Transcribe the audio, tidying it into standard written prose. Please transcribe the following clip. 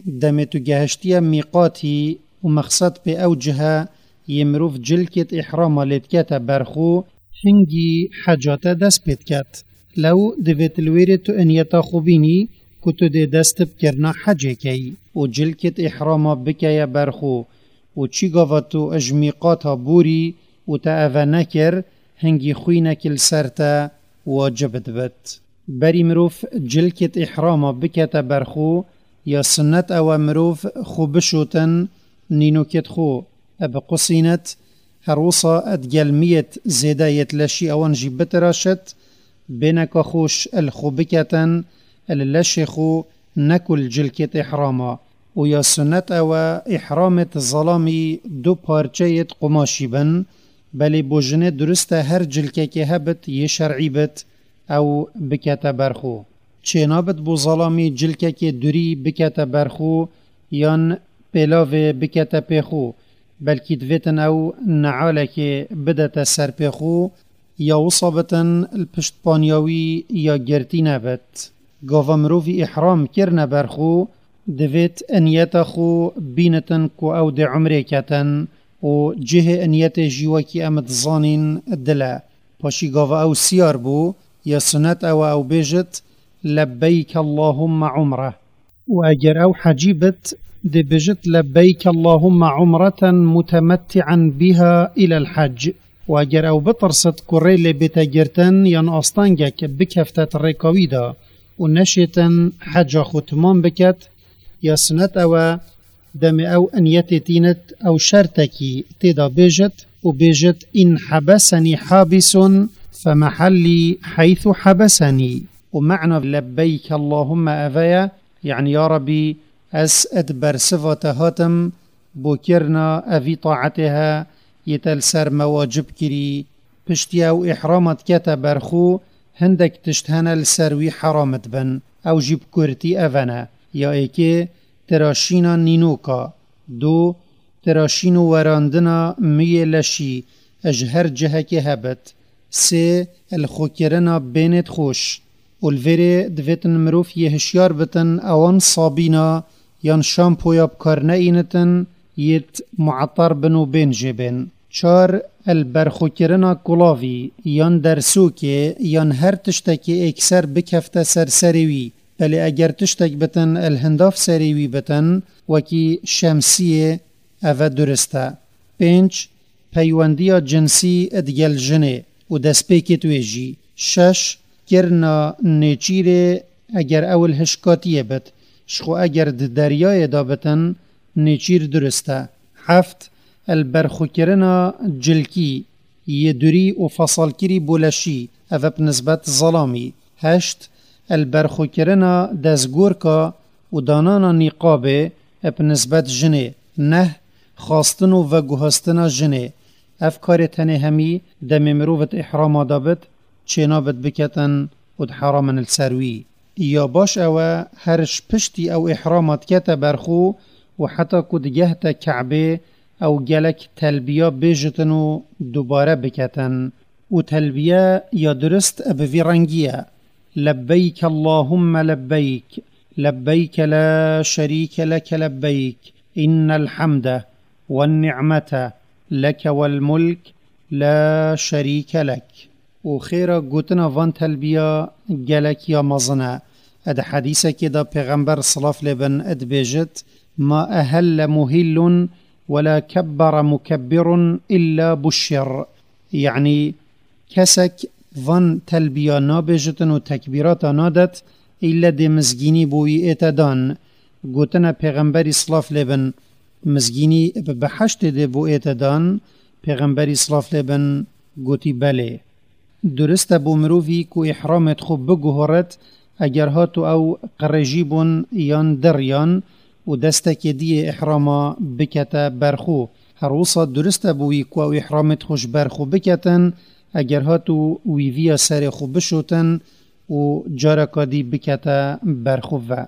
Demê tu gehiştiye mîqatî û mexsed pê ew cihe yê mirov cilkêt îhrama lê dikete ber xwe, hingî heca te dest pê diket. Lew divêt li wêrê tu inyeta xwe bînî ku tu dê dest bi kirina hecê key. Û cilkêt îhrama bikeye ber xwe û çî gava tu ji mîqata borî û te eve nekir, hingî xwînek li ser te wacib dibit. Berî mirov cilkêt îhrama bikete ber xwe, ya sunnet ew e mirov xwe bişotin nînokêt xwe bi qusînet, her wisa digel miyêt zêde yêt leşî ewan jî bitiraşit, bêneka xweş li xwe biketin li leşê xwe neku li cilkêt îhrama û ya sunnet ew e îhramêt zelamî du parçeyêt qumaşî bin, belê bo jinê durist e her cilkekê hebit yê şer'î bit ew bikete ber xwe. Çênabit bo zelamî cilkekê durî bikete ber xwe yan pêlavê bikete pê xwe, belkî divêtin ew nealekê bidete ser pê xwe ya wisa bitin li pişt paniya wî ya girtî nebit. Gava mirovî îhram kirine ber xwe, divêt inyeta xwe bînitin ku ew dê umrê ketin û cihê inyetê jî wekî em dizanîn dil e. Paşî gava ew siyar bû, ya sunet ew e ew bêjit, Lebbeyk Allahumma umreh. Û eger ew hecî bit, dê bêjit Lebbeyk Allahumma umreten mutemetti'en biha ilel hec. Û eger ew bitirsit ku rê lê bête girtin yan astengek bikefte di rêka wî de û neşêtin heca xwe temam biket, ya sunet ew e demê ew inyetê tînit ew şertekî tê de bêjit û bêjit In hebesenî habîsun femehellî heythu hebesenî. Û me'na Lebbeyk Allahumma eve ye, yanî Ya Rebî ez di bersiva te hatim bo kirina evî taetê he yê te li ser me wacib kirî. Piştî ew îhrama dikete ber xwe hindek tişt hene li ser wî heram dibin, ew jî bi kurtî eve ne, ya êkê tiraşîna nînoka, du, tiraşîn û werandina miyê leşî ji her cihekê hebit, sê, li xwekirina bênêd xweş û li vêrê divêtin mirov yê hişyar bitin ewan sabîna yan şampoya bi kar neînitin yêt mueter bin û bên jê bên. Çar, li berxwekirina kulavî yan dersokê yan her tiştekê êkser bikefte ser serê wî, belê eger tiştek bitin li hindav serê wî bitin wekî şemsiyê eve durist e. Pênc, Peywendiya cinsî digel jinê û destpêkêt wê jî. Şeş, Kirina nêçîrê eger ew li hişkatiyê bit, ji xwe eger di deryayê de bitin, nêçîr durist e. Heft, Li berxwekirina cilkî yê durî û fesalkirî bo leşî, ev e bi nisbet zelamî. Heşt, Li berxwekirina destgorka û danana nîqabê e bi nisbet jinê. Neh, Xwastin û veguhastina jinê, Ev karê tenê hemî demê mirovit îhrama de bit, çênabit biketin û di heramin li ser wî. Ya baş ew e her ji piştî ew îhrama dikete ber xwe û heta ku digehte Ke'bê ew gelek telbiya bêjitin û dubare biketin. Û telbiye ya durist bi vî rengî ye, Lebbeyk Allahumma lebbeyk, lebbeyke la şerîke leke lebbeyk, innel hemde wen-ni'mete leke wel-mulk la şerîke lek. Û xêra gotina van telbiya gelek ya mezin e. Di hedîsekê de Pêxember silav lê bin dibêjit, Ma ehelle muhillun wela kebbere mukebbirun illa buşşir. Yanî kesek van telbiya nabêjitin û tekbîrata nadet îlle dê mizgînî bo wî ête dan. Gotina Pêxemberî silav lê bin mizgînî bi beheştê dê bo ête dan, Pêxemberî silav lê bin gotî belê. Durist e bo mirovî ku îhramê xwe biguhoret eger hat û ew qirêjî bûn yan diriyan û destekê diyê îhrama bikete ber xwe. Her wisa durist e bo wî ku ew îhramê xwe ji ber xwe biketin eger hat û wî viya serê xwe bişotin û careka dî bikete ber xwe ve.